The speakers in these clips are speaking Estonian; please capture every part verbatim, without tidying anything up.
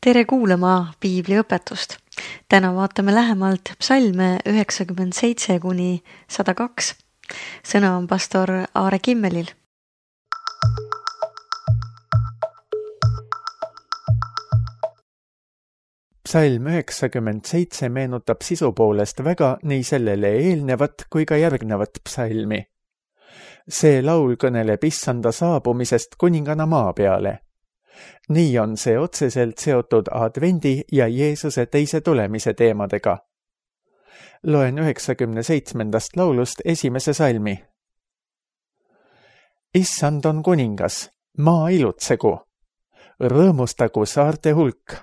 Tere kuulama piibliõpetust. Täna vaatame lähemalt psalme üheksakümmend seitse kuni sada kaks. Sõna on pastor Aare Kimmelil. Psalm üheksakümmend seitse meenutab sisu poolest väga nii sellele eelnevat kui ka järgnevat psalmi. See laul kõneleb issanda saabumisest kuningana maa peale. Nii on see otseselt seotud advendi ja Jeesuse teise tulemise teemadega. Loen üheksakümne seitsmendast laulust esimese salmi. Issand on kuningas, maa ilutsegu, rõõmustagu saarte hulk.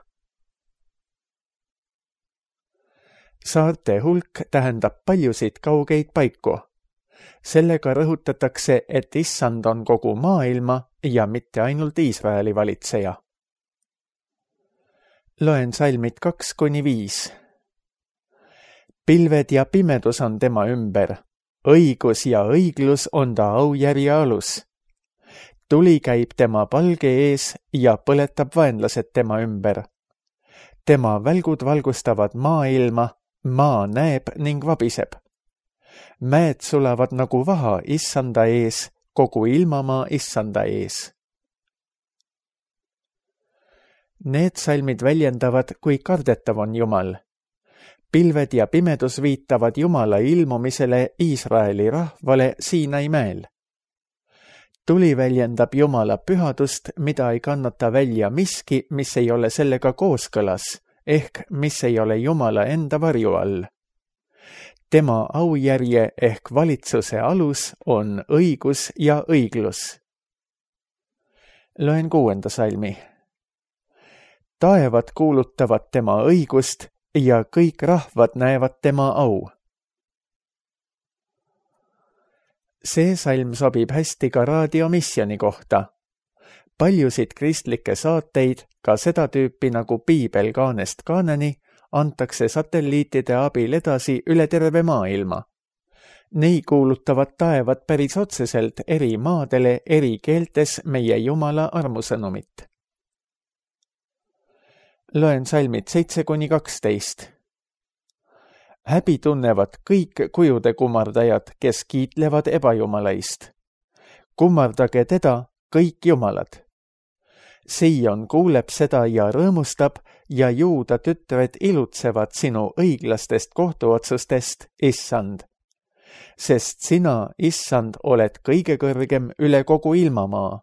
Saarte hulk tähendab paljusid kaugeid paiku. Sellega rõhutatakse, et issand on kogu maailma ja mitte ainult Iisraeli valitseja. Loen salmid kaks kuni viis. Pilved ja pimedus on tema ümber, õigus ja õiglus on ta aujärje alus. Tuli käib tema palge ees ja põletab vaenlased tema ümber. Tema välgud valgustavad maailma, maa näeb ning vabiseb. Mäed sulavad nagu vaha issanda ees, kogu ilmamaa issanda ees. Need salmid väljendavad, kui kardetav on Jumal. Pilved ja pimedus viitavad Jumala ilmumisele Iisraeli rahvale Siinai mäel. Tuli väljendab Jumala pühadust, mida ei kannata välja miski, mis ei ole sellega kooskõlas, ehk mis ei ole Jumala enda varju all. Tema aujärje ehk valitsuse alus on õigus ja õiglus. Loen kuuenda salmi. Taevad kuulutavad tema õigust ja kõik rahvad näevad tema au. See salm sobib hästi ka raadiomisjoni kohta. Paljusid kristlikke saateid, ka seda tüüpi nagu Piibel kaanest kaaneni, antakse satelliitide abil edasi üle terve maailma. Nii kuulutavad taevad päris otseselt eri maadele eri keeltes meie Jumala armusõnumit. Loen salmid seitse kuni kaksteist. Häbi tunnevad kõik kujude kummardajad, kes kiitlevad ebajumalaist. Kummardage teda kõik jumalad. Sion kuuleb seda ja rõõmustab ja Juuda tütred ilutsevad sinu õiglastest kohtuotsustest, issand. Sest sina, issand, oled kõige kõrgem üle kogu ilmamaa.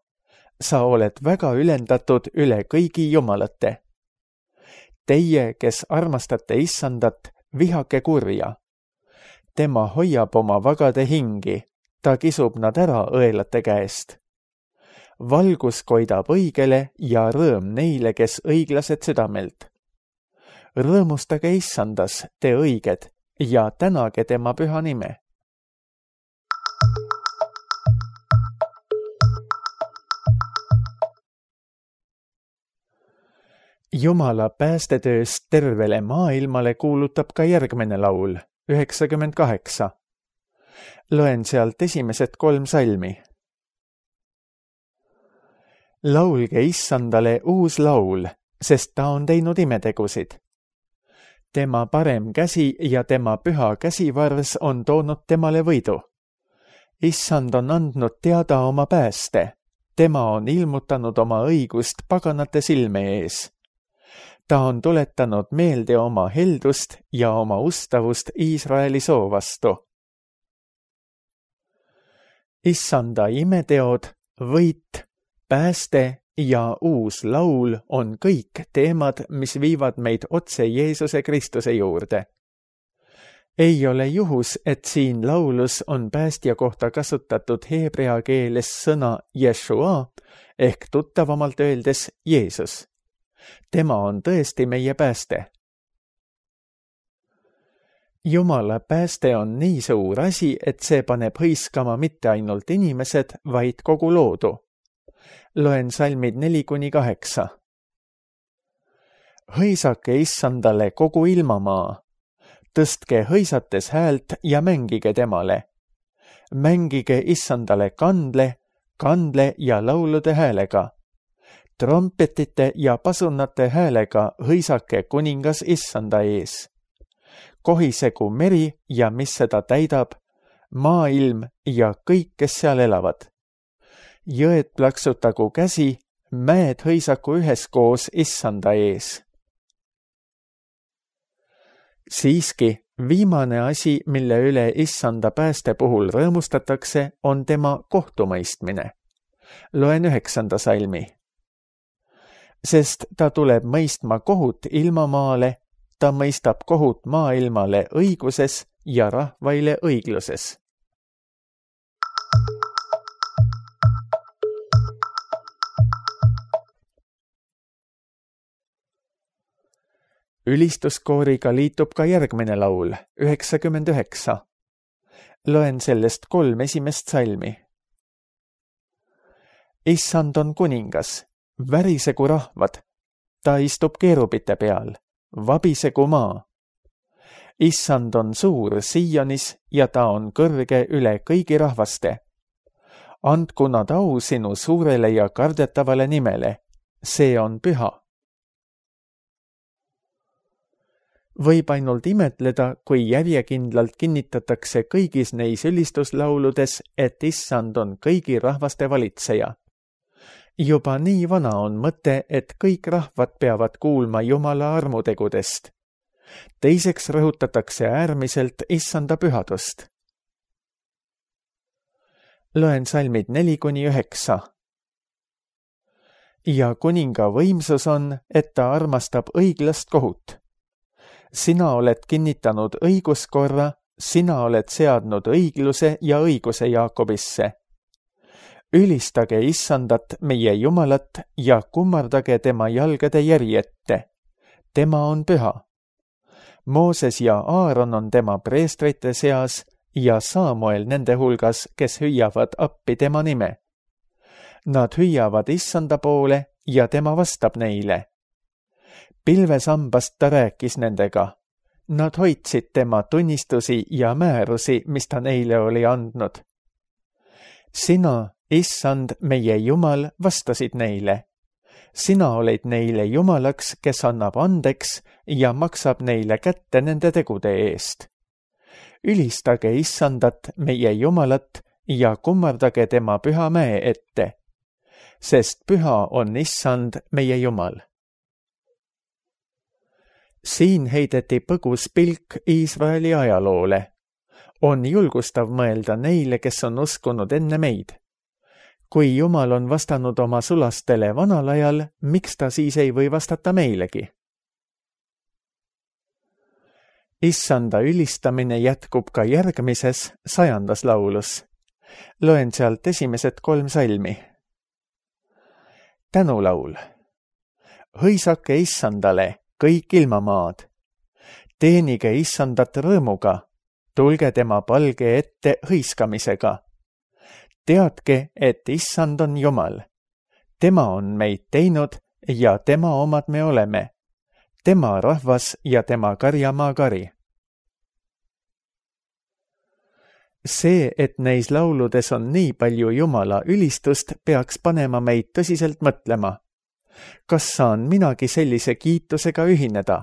Sa oled väga ülendatud üle kõigi jumalate. Teie, kes armastate issandat, vihake kurja. Tema hoiab oma vagade hingi, ta kisub nad ära õelate käest. Valgus koidab õigele ja rõõm neile, kes õiglased südamelt. Rõõmustage issandas, te õiged, ja tänage tema püha nime. Jumala päästetööst tervele maailmale kuulutab ka järgmine laul, üheksakümmend kaheksa. Loen sealt esimesed kolm salmi. Laulge issandale uus laul, sest ta on teinud imetegusid. Tema parem käsi ja tema püha käsivars on toonud temale võidu. Issand on andnud teada oma pääste. Tema on ilmutanud oma õigust paganate silme ees. Ta on tuletanud meelde oma heldust ja oma ustavust Iisraeli soo vastu. Issanda imeteod, võit, pääste ja uus laul on kõik teemad, mis viivad meid otse Jeesuse Kristuse juurde. Ei ole juhus, et siin laulus on päästja kohta kasutatud heebrea keeles sõna Yeshua ehk tuttavamalt öeldes Jeesus. Tema on tõesti meie pääste. Jumala pääste on nii suur asi, et see paneb hõiskama mitte ainult inimesed, vaid kogu loodu. Loen salmid neli kuni kaheksa. Hõisake issandale kogu ilmamaa. Tõstke hõisates häält ja mängige temale. Mängige issandale kandle, kandle ja laulude häälega. trompetite ja pasunate häälega hõisake kuningas issanda ees. Kohisegu meri ja mis seda täidab, maailm ja kõik, kes seal elavad. Jõed plaksutagu käsi, mäed hõisaku üheskoos issanda ees. Siiski, viimane asi, mille üle issanda pääste puhul rõõmustatakse, on tema kohtumõistmine. Loen üheksanda salmi. Sest ta tuleb mõistma kohut ilmamaale, ta mõistab kohut maailmale õiguses ja rahvaile õigluses. Ülistuskooriga liitub ka järgmine laul, üheksakümmend üheksa. Loen sellest kolm esimest salmi. Issand on kuningas, värisegu rahvad, ta istub keerubite peal, vabisegu maa. Issand on suur Sionis ja ta on kõrge üle kõigi rahvaste. Andku nad au sinu suurele ja kardetavale nimele, see on püha. Võib ainult imetleda, kui järjekindlalt kinnitatakse kõigis neis ülistuslauludes, et issand on kõigi rahvaste valitseja. Juba nii vana on mõte, et kõik rahvad peavad kuulma Jumala armutegudest. Teiseks rõhutatakse äärmiselt issanda pühadust. Loen salmid neli kuni üheksa. Ja kuninga võimsus on, et ta armastab õiglast kohut. Sina oled kinnitanud õiguskorra, sina oled seadnud õigluse ja õiguse Jaakobisse. Ülistage issandat, meie Jumalat, ja kummardage tema jalgade järjette. Tema on püha. Mooses ja Aaron on tema preestrite seas ja Samuel nende hulgas, kes hüüavad appi tema nime. Nad hüüavad issanda poole ja tema vastab neile. Pilvesambast ta rääkis nendega. Nad hoidsid tema tunnistusi ja määrusi, mis ta neile oli andnud. Sina, issand, meie Jumal, vastasid neile. Sina olid neile Jumalaks, kes annab andeks ja maksab neile kätte nende tegude eest. Ülistage issandat, meie Jumalat, ja kummardage tema püha mäe ette, sest püha on issand, meie Jumal. Siin heideti põgus pilk Iisraeli ajaloole. On julgustav mõelda neile, kes on uskunud enne meid. Kui Jumal on vastanud oma sulastele vanal ajal, miks ta siis ei või vastata meilegi? Issanda ülistamine jätkub ka järgmises, sajandas laulus. Loen sealt esimesed kolm salmi. Tänulaul. Hõisake issandale, kõik ilmamaad. Teenige issandat rõõmuga, tulge tema palge ette hõiskamisega. Teadke, et issand on Jumal. Tema on meid teinud ja tema omad me oleme. Tema rahvas ja tema karjamaa kari. See, et neis lauludes on nii palju Jumala ülistust, peaks panema meid tõsiselt mõtlema. Kas saan minagi sellise kiitusega ühineda?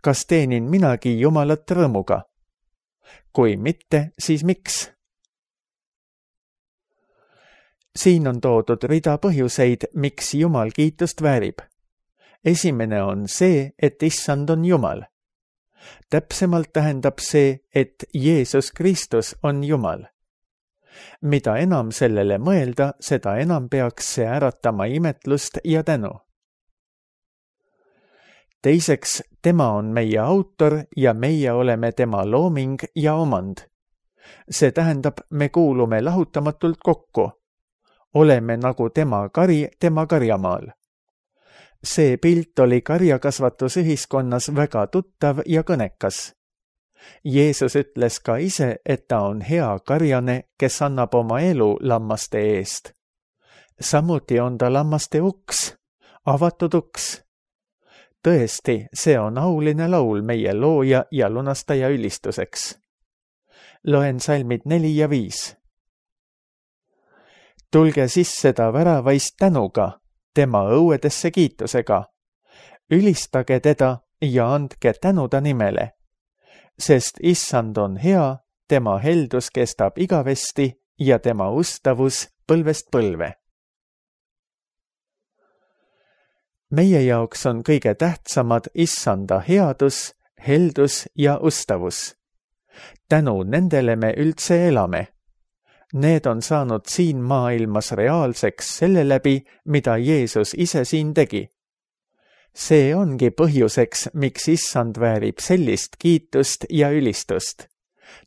Kas teenin minagi Jumalat rõõmuga? Kui mitte, siis miks? Siin on toodud rida põhjuseid, miks Jumal kiitust väärib. Esimene on see, et issand on Jumal. Täpsemalt tähendab see, et Jeesus Kristus on Jumal. Mida enam sellele mõelda, seda enam peaks see äratama imetlust ja tänu. Teiseks, tema on meie autor ja meie oleme tema looming ja omand. See tähendab, me kuulume lahutamatult kokku. Oleme nagu tema kari tema karjamaal. See pilt oli karjakasvatusühiskonnas väga tuttav ja kõnekas. Jeesus ütles ka ise, et ta on hea karjane, kes annab oma elu lammaste eest. Samuti on ta lammaste uks, avatud uks. Tõesti, see on auline laul meie looja ja lunastaja ülistuseks. Loen salmid neli ja viis. Tulge sisse ta väravaist tänuga, tema õuedesse kiitusega. Ülistage teda ja andke tänu ta nimele, sest issand on hea, tema heldus kestab igavesti ja tema ustavus põlvest põlve. Meie jaoks on kõige tähtsamad issanda headus, heldus ja ustavus. Tänu nendele me üldse elame. Need on saanud siin maailmas reaalseks selle läbi, mida Jeesus ise siin tegi. See ongi põhjuseks, miks issand väärib sellist kiitust ja ülistust.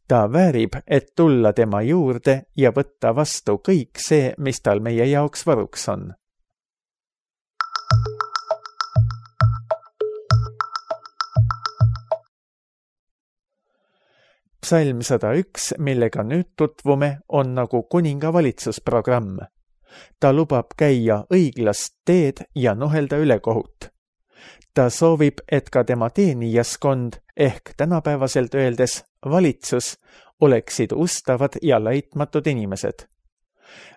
Ta väärib, et tulla tema juurde ja võtta vastu kõik see, mis tal meie jaoks varuks on. Psalm sada üks, millega nüüd tutvume, on nagu kuninga valitsusprogramm. Ta lubab käia õiglast teed ja nuhelda ülekohut. Ta soovib, et ka tema teenijaskond ehk tänapäevaselt öeldes valitsus oleksid ustavad ja laitmatud inimesed.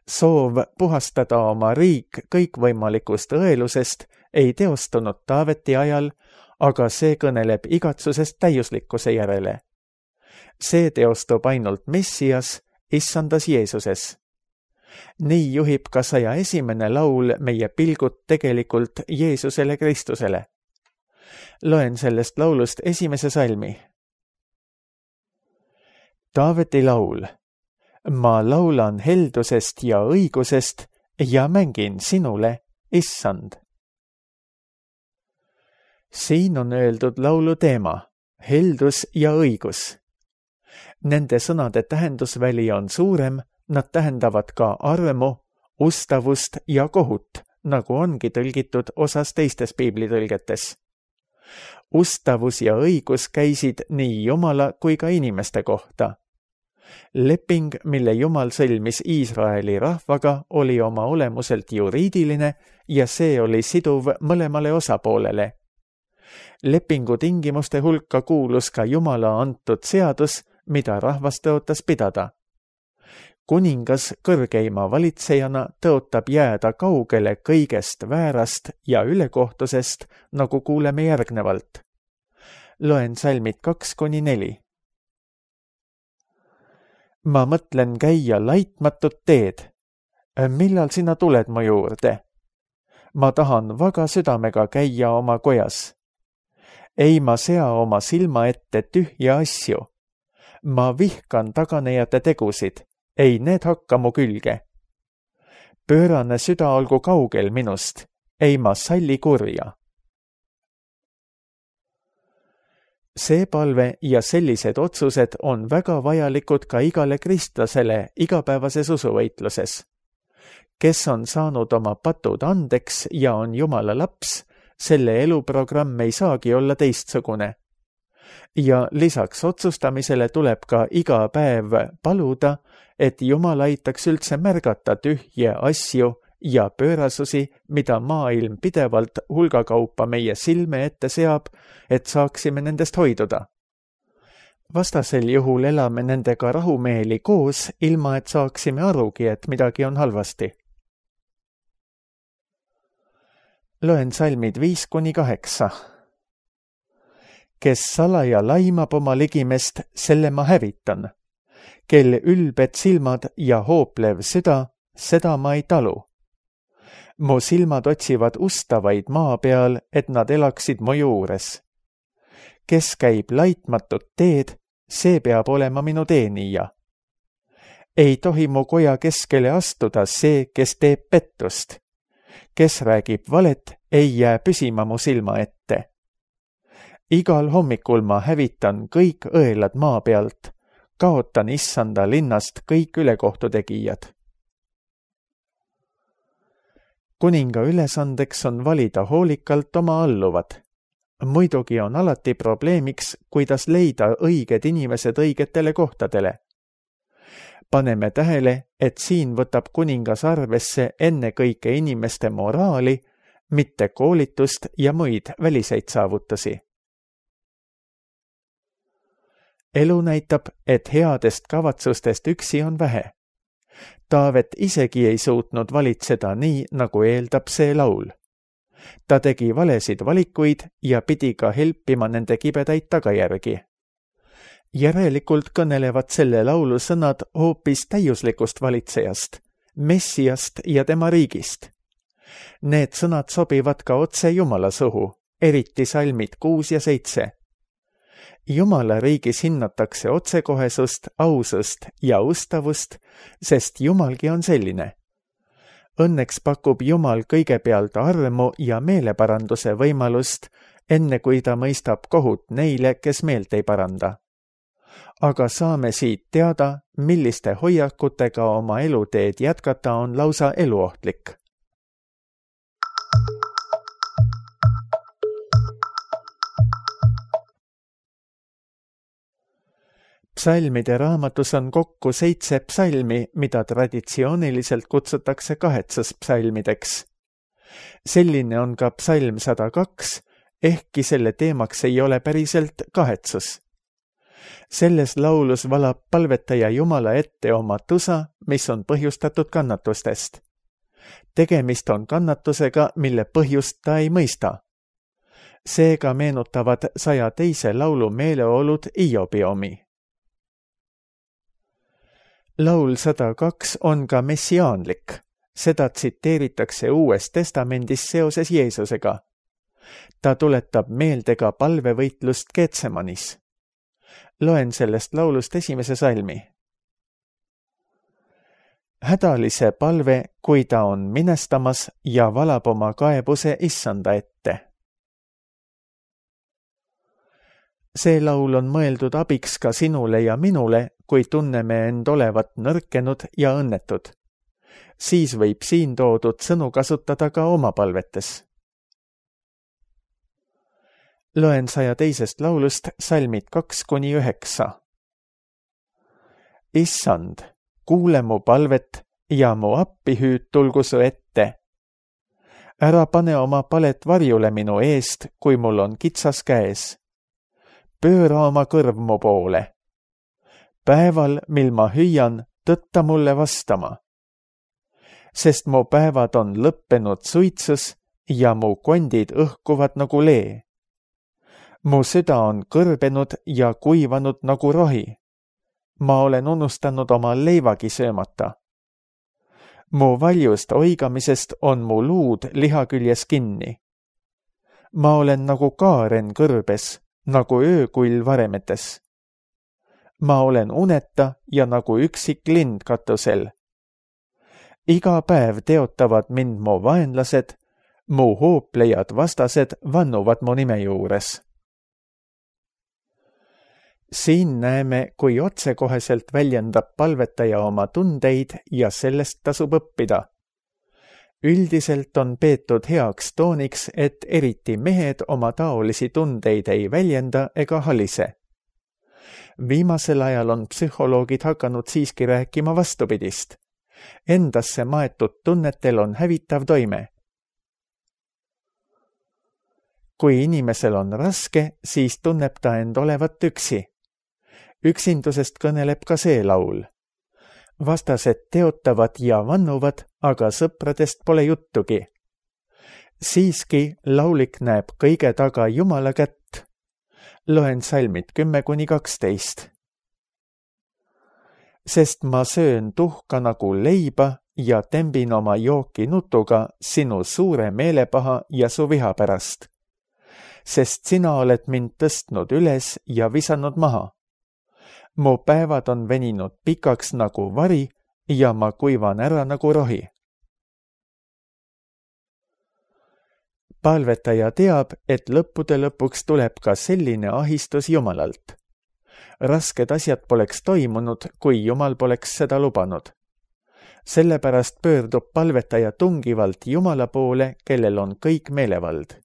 Soov puhastada oma riik kõikvõimalikust õelusest ei teostunud Taaveti ajal, aga see kõneleb igatsusest täiuslikkuse järele. See teostub ainult Messias, issandas Jeesuses. Nii juhib ka saja esimene laul meie pilgud tegelikult Jeesusele Kristusele. Loen sellest laulust esimese salmi. Taaveti laul. Ma laulan heldusest ja õigusest ja mängin sinule, issand. Siin on öeldud laulu teema, heldus ja õigus. Nende sõnade tähendusväli on suurem, nad tähendavad ka armu, ustavust ja kohut, nagu ongi tõlgitud osas teistes piiblitõlgetes. Ustavus ja õigus käisid nii Jumala kui ka inimeste kohta. Leping, mille Jumal sõlmis Iisraeli rahvaga, oli oma olemuselt juriidiline ja see oli siduv mõlemale osapoolele. Lepingu tingimuste hulka kuulus ka Jumala antud seadus, mida rahvas tõotas pidada. Kuningas kõrgeima valitsejana tõotab jääda kaugele kõigest väärast ja ülekohtusest, nagu kuuleme järgnevalt. Loen salmid kaks kuni neli. Ma mõtlen käia laitmatut teed. Millal sina tuled mu juurde? Ma tahan vaga südamega käia oma kojas. Ei ma sea oma silma ette tühja asju. Ma vihkan taganejate tegusid, ei need hakka mu külge. Pöörane süda olgu kaugel minust, ei ma salli kurja. See palve ja sellised otsused on väga vajalikud ka igale kristlasele igapäevases usuvõitluses. Kes on saanud oma patud andeks ja on Jumala laps, selle eluprogramm ei saagi olla teistsugune. Ja lisaks otsustamisele tuleb ka iga päev paluda, et Jumal aitaks üldse märgata tühje asju ja pöörasusi, mida maailm pidevalt hulgakaupa meie silme ette seab, et saaksime nendest hoiduda. Vastasel juhul elame nendega rahumeeli koos, ilma et saaksime arugi, et midagi on halvasti. Loen salmid viis kuni kaheksa. Kes salaja laimab oma ligimest, selle ma hävitan. Kel ülbed silmad ja hooplev süda, seda ma ei talu. Mu silmad otsivad ustavaid maa peal, et nad elaksid mu juures. Kes käib laitmatut teed, see peab olema minu teenija. Ei tohi mu koja keskele astuda see, kes teeb pettust. Kes räägib valet, ei jää püsima mu silma ette. Igal hommikul ma hävitan kõik õelad maa pealt, kaotan issanda linnast kõik ülekohtutegijad. Kuninga ülesandeks on valida hoolikalt oma alluvad. Muidugi on alati probleemiks, kuidas leida õiged inimesed õigetele kohtadele. Paneme tähele, et siin võtab kuningas arvesse ennekõike inimeste moraali, mitte koolitust ja muid väliseid saavutusi. Elu näitab, et headest kavatsustest üksi on vähe. Taavet isegi ei suutnud valitseda nii, nagu eeldab see laul. Ta tegi valesid valikuid ja pidi ka helpima nende kibedaid tagajärgi. Järelikult kõnelevad selle laulu sõnad hoopis täiuslikust valitsejast, Messiast ja tema riigist. Need sõnad sobivad ka otse Jumala suhu, eriti salmid kuus ja seitse. Jumala riigis hinnatakse otsekohesust, ausust ja ustavust, sest Jumalgi on selline. Õnneks pakub Jumal kõigepealt armu ja meeleparanduse võimalust, enne kui ta mõistab kohut neile, kes meelt ei paranda. Aga saame siit teada, milliste hoiakutega oma eluteed jätkata on lausa eluohtlik. Psalmide raamatus on kokku seitse psalmi, mida traditsiooniliselt kutsutakse kaheksas psalmideks. Selline on ka psalm sada kaks, ehkki selle teemaks ei ole päriselt kahetsus. Selles laulus valab palvetaja Jumala ette oma tusa, mis on põhjustatud kannatustest. Tegemist on kannatusega, mille põhjust ta ei mõista. Seega meenutavad saja teise laulu meeleolud Iobi omi. Laul sada kaks on ka messiaanlik. Seda tsiteeritakse Uues Testamendis seoses Jeesusega. Ta tuletab meelde ka palvevõitlust Getsemanis. Loen sellest laulust esimese salmi. Hädalise palve, kui ta on minestamas ja valab oma kaebuse Issanda ette. See laul on mõeldud abiks ka sinule ja minule, kui tunneme end olevat nõrkenud ja õnnetud. Siis võib siin toodud sõnu kasutada ka oma palvetes. Loen saja teisest laulust salmid kaks kuni üheksa. Issand, kuule mu palvet ja mu appihüüd tulgu su ette. Ära pane oma palet varjule minu eest, kui mul on kitsas käes. Pööra oma kõrv mu poole. Päeval, mil ma hüüan, tõtta mulle vastama. Sest mu päevad on lõppenud suitsus ja mu kondid õhkuvad nagu lee. Mu süda on kõrbenud ja kuivanud nagu rohi. Ma olen unustanud oma leivagi söömata. Mu valjust oigamisest on mu luud liha küljes kinni. Ma olen nagu kaaren kõrbes, nagu öökull varemetes. Ma olen uneta ja nagu üksik lind katusel. Iga päev teotavad mind mu vaenlased, mu hooplejad vastased vannuvad mu nime juures. Siin näeme, kui otsekoheselt väljendab palvetaja oma tundeid ja sellest tasub õppida. Üldiselt on peetud heaks tooniks, et eriti mehed oma taolisi tundeid ei väljenda ega halise. Viimasel ajal on psühholoogid hakanud siiski rääkima vastupidist. Endasse maetud tunnetel on hävitav toime. Kui inimesel on raske, siis tunneb ta end olevat üksi. Üksindusest kõneleb ka see laul. Vastased teotavad ja vannuvad, aga sõpradest pole juttugi. Siiski laulik näeb kõige taga Jumala kätt. Loen salmid kümme kuni kaksteist. Sest ma söön tuhka nagu leiba ja tembin oma jooki nutuga sinu suure meelepaha ja su viha pärast. Sest sina oled mind tõstnud üles ja visanud maha. Mu päevad on veninud pikaks nagu vari ja ma kuivan ära nagu rohi. Palvetaja teab, et lõppude lõpuks tuleb ka selline ahistus Jumalalt. Rasked asjad poleks toimunud, kui Jumal poleks seda lubanud. Sellepärast pöördub palvetaja tungivalt Jumala poole, kellel on kõik meelevald.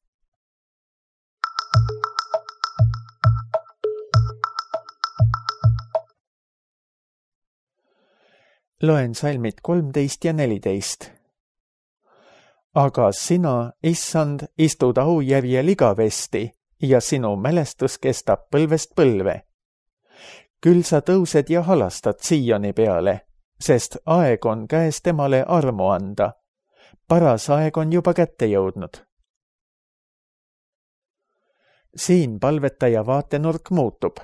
Loen salmid kolmteist ja neliteist. Aga sina, Issand, istud aujärjel igavesti ja sinu mälestus kestab põlvest põlve. Küll sa tõused ja halastad Sioni peale, sest aeg on käes temale armu anda. Paras aeg on juba kätte jõudnud. Siin palvetaja vaatenurk muutub.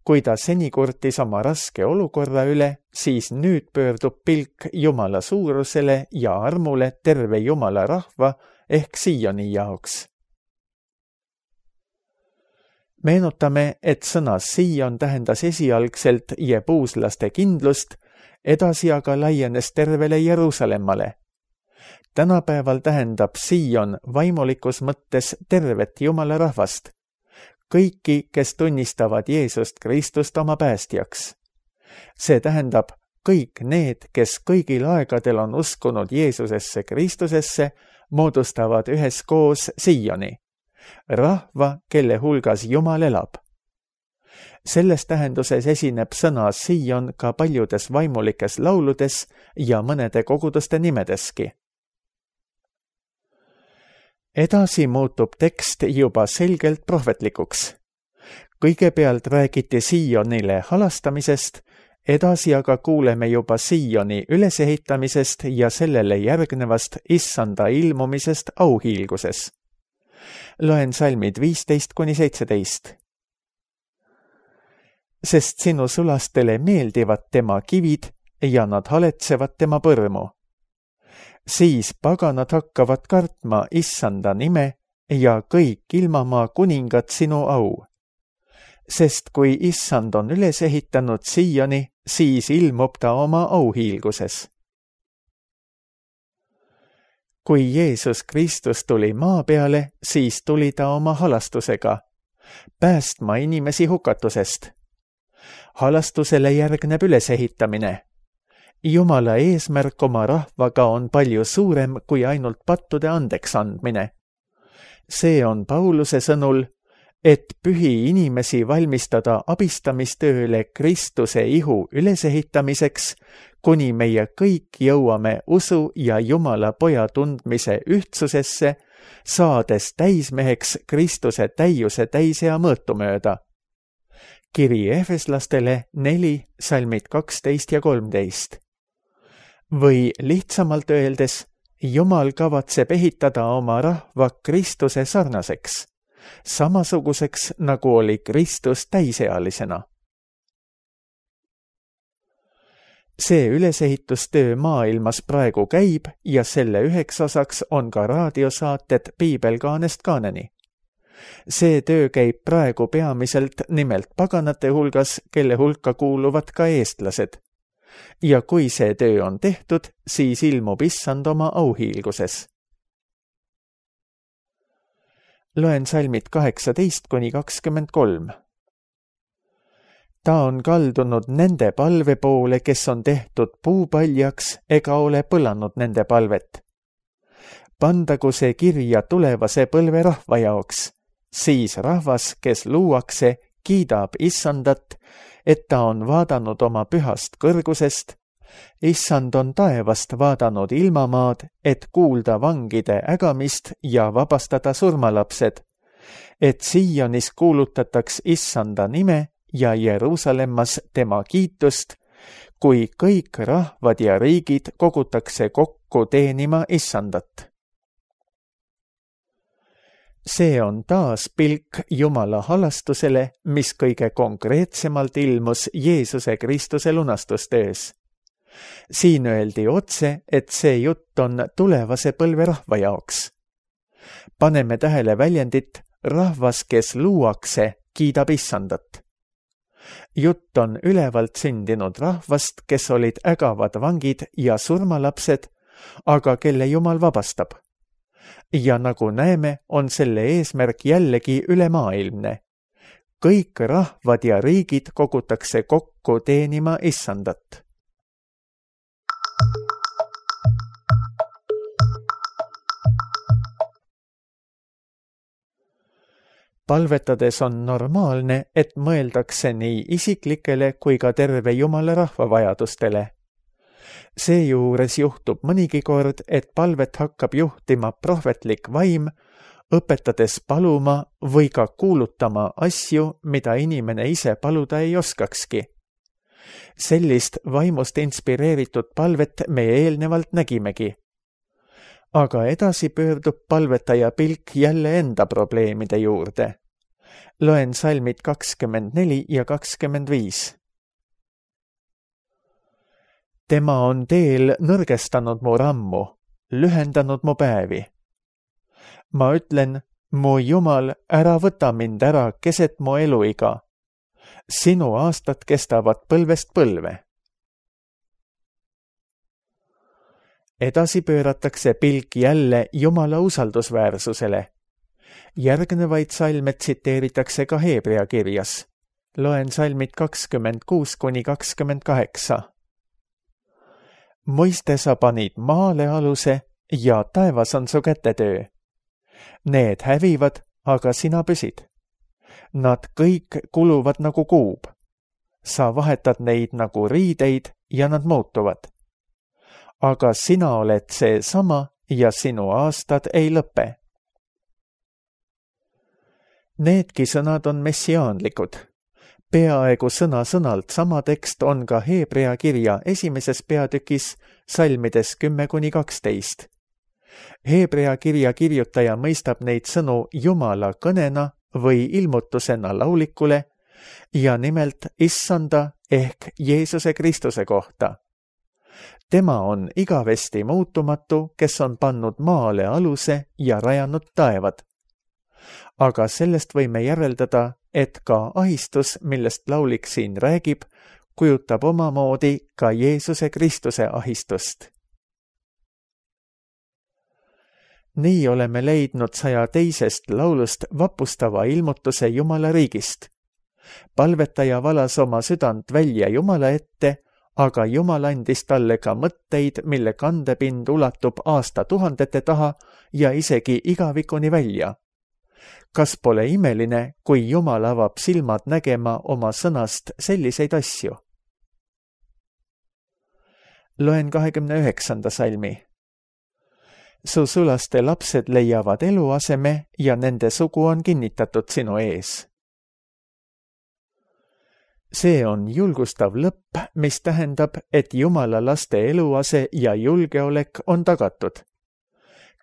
Kui ta seni kurtis oma raske olukorra üle, siis nüüd pöördub pilk Jumala suurusele ja armule terve Jumala rahva ehk Sioni jaoks. Meenutame, et sõna Sion tähendas esialgselt jebuuslaste kindlust, edasi aga laienes tervele Jeruusalemmale. Tänapäeval tähendab Sion vaimulikus mõttes tervet Jumala rahvast. Kõiki, kes tunnistavad Jeesust Kristust oma päästjaks. See tähendab kõik need, kes kõigil aegadel on uskunud Jeesusesse Kristusesse, moodustavad üheskoos Sioni, rahva, kelle hulgas Jumal elab. Selles tähenduses esineb sõna Sion ka paljudes vaimulikes lauludes ja mõnede koguduste nimedeski. Edasi muutub tekst juba selgelt prohvetlikuks. Kõigepealt räägiti Sionile halastamisest, edasi aga kuuleme juba Sioni ülesehitamisest ja sellele järgnevast issanda ilmumisest auhiilguses. Loen salmid viisteist kuni seitseteist. Sest sinu sulastele meeldivad tema kivid ja nad haletsevad tema põrmu. Siis paganad hakkavad kartma issanda nime ja kõik ilmamaa kuningad sinu au. Sest kui issand on üles ehitanud Sioni, siis ilmub ta oma auhiilguses. Kui Jeesus Kristus tuli maa peale, siis tuli ta oma halastusega, päästma inimesi hukatusest. Halastusele järgneb ülesehitamine. Jumala eesmärk oma rahvaga on palju suurem kui ainult pattude andeks andmine. See on Pauluse sõnul, et pühi inimesi valmistada abistamistööle Kristuse ihu ülesehitamiseks, kuni meie kõik jõuame usu ja Jumala poja tundmise ühtsusesse, saades täismeheks Kristuse täiuse täisea mõõtu mööda. Kiri Efeslastele neli, salmid kaksteist ja kolmteist. Või lihtsamalt öeldes, Jumal kavatseb ehitada oma rahva Kristuse sarnaseks, samasuguseks nagu oli Kristus täisealisena. See ülesehitustöö maailmas praegu käib ja selle üheks osaks on ka raadiosaated Piibelkaanest kaaneni. See töö käib praegu peamiselt nimelt paganate hulgas, kelle hulka kuuluvad ka eestlased. Ja kui see töö on tehtud, siis ilmub issand oma auhiilguses. Loen salmid kaheksateist kuni kakskümmend kolm. Ta on kaldunud nende palve poole, kes on tehtud puupaljaks ega ole põlanud nende palvet. Pandagu see kirja tulevase põlve rahva jaoks, siis rahvas, kes luuakse, kiidab issandat, et ta on vaadanud oma pühast kõrgusest, issand on taevast vaadanud ilmamaad, et kuulda vangide ägamist ja vabastada surmalapsed, et Sionis kuulutataks issanda nime ja Jeruusalemmas tema kiitust, kui kõik rahvad ja riigid kogutakse kokku teenima issandat. See on taas pilk Jumala halastusele, mis kõige konkreetsemalt ilmus Jeesuse Kristuse lunastustöös. Siin öeldi otse, et see jutt on tulevase põlve rahva jaoks. Paneme tähele väljendit, rahvas, kes luuakse, kiidab issandat. Jutt on ülevalt sündinud rahvast, kes olid ägavad vangid ja surmalapsed, aga kelle Jumal vabastab. Ja nagu näeme, on selle eesmärk jällegi ülemaailmne. Kõik rahvad ja riigid kogutakse kokku teenima issandat. Palvetades on normaalne, et mõeldakse nii isiklikele kui ka terve Jumala rahva vajadustele. Seejuures juhtub mõnigi kord, et palvet hakkab juhtima prohvetlik vaim, õpetades paluma või ka kuulutama asju, mida inimene ise paluda ei oskakski. sellist vaimust inspireeritud palvet me eelnevalt nägimegi. Aga edasi pöördub palvetaja pilk jälle enda probleemide juurde. Loen salmid kakskümmend neli ja kakskümmend viis. Tema on teel nõrgestanud mu rammu, lühendanud mu päevi. Ma ütlen, mu Jumal, ära võta mind ära keset mu eluiga. Sinu aastad kestavad põlvest põlve. Edasi pööratakse pilk jälle Jumala usaldusväärsusele. Järgnevaid salme tsiteeritakse ka Heebrea kirjas. Loen salmid kakskümmend kuus kuni kakskümmend kaheksa. Muiste sa panid maale aluse ja taevas on su kätetöö. Need hävivad, aga sina püsid. Nad kõik kuluvad nagu kuub. Sa vahetad neid nagu riideid ja nad muutuvad. Aga sina oled see sama ja sinu aastad ei lõpe. Needki sõnad on messiaanlikud. Peaaegu sõna-sõnalt sama tekst on ka Heebrea kirja esimeses peatükis salmides kümme kuni kaksteist. Heebrea kirja kirjutaja mõistab neid sõnu Jumala kõnena või ilmutusena laulikule ja nimelt issanda ehk Jeesuse Kristuse kohta. Tema on igavesti muutumatu, kes on pannud maale aluse ja rajanud taevad. Aga sellest võime järeldada, et ka ahistus, millest laulik siin räägib, kujutab omamoodi ka Jeesuse Kristuse ahistust. Nii oleme leidnud saja teisest laulust vapustava ilmutuse Jumala riigist. Palvetaja valas oma südant välja Jumala ette, aga Jumal andis talle ka mõtteid, mille kandepind ulatub aastatuhandete taha ja isegi igavikuni välja. Kas pole imeline, kui Jumal avab silmad nägema oma sõnast selliseid asju? Loen kahekümne üheksanda salmi. Su sulaste lapsed leiavad eluaseme ja nende sugu on kinnitatud sinu ees. See on julgustav lõpp, mis tähendab, et Jumala laste eluase ja julgeolek on tagatud.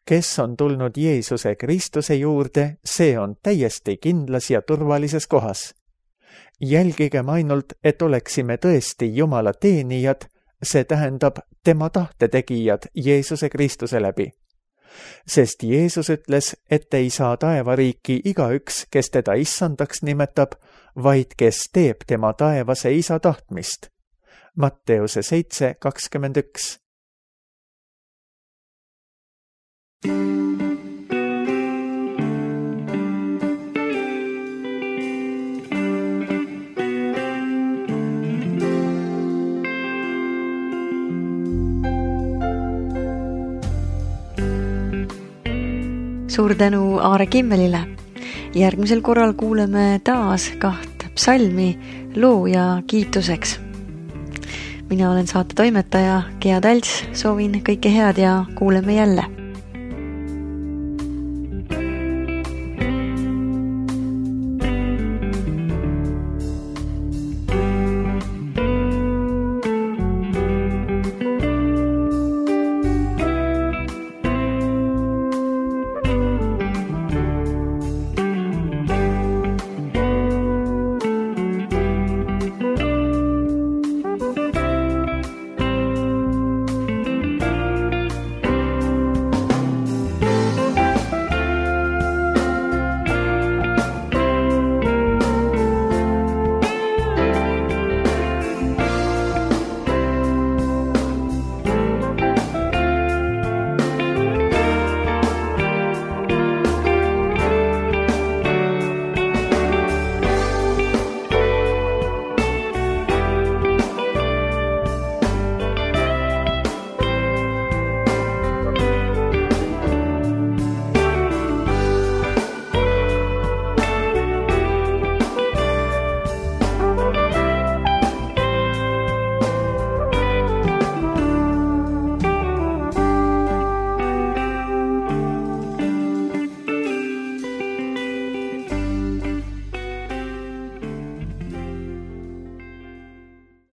Kes on tulnud Jeesuse Kristuse juurde, see on täiesti kindlas ja turvalises kohas. Jälgigem ainult, et oleksime tõesti Jumala teenijad, see tähendab tema tahtetegijad Jeesuse Kristuse läbi. Sest Jeesus ütles, et ei saa taevariiki igaüks, kes teda issandaks nimetab, vaid kes teeb tema taevase isa tahtmist. Matteuse seitse kakskümmend üks. Suur tänu Aare Kimmelile. Järgmisel korral kuuleme taas kaht psalmi loo ja kiituseks. Mina olen saate toimetaja Gea Talts, soovin kõike head ja kuuleme jälle.